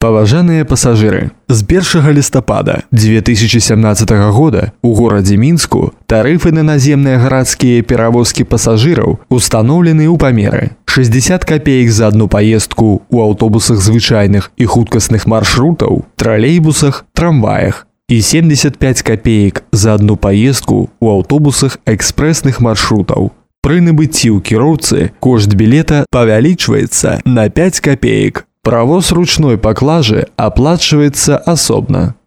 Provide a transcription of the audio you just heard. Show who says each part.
Speaker 1: Паважаныя пасажыры, з 1 лістапада 2017 года у горадзе Мінску тарыфы на наземныя гарадскія перавозкі пасажыраў устаноўлены ў памеры 60 копеек за одну поездку у аўтобусах звычайных і хуткасных маршрутаў, тралейбусах, трамваях і 75 копеек за одну поездку у аўтобусах экспрэсных маршрутаў. Пры набыцці ў кіроўцы кошт білета павялічваецца на 5 копеек. Правоз ручной паклажы аплачваецца асобна.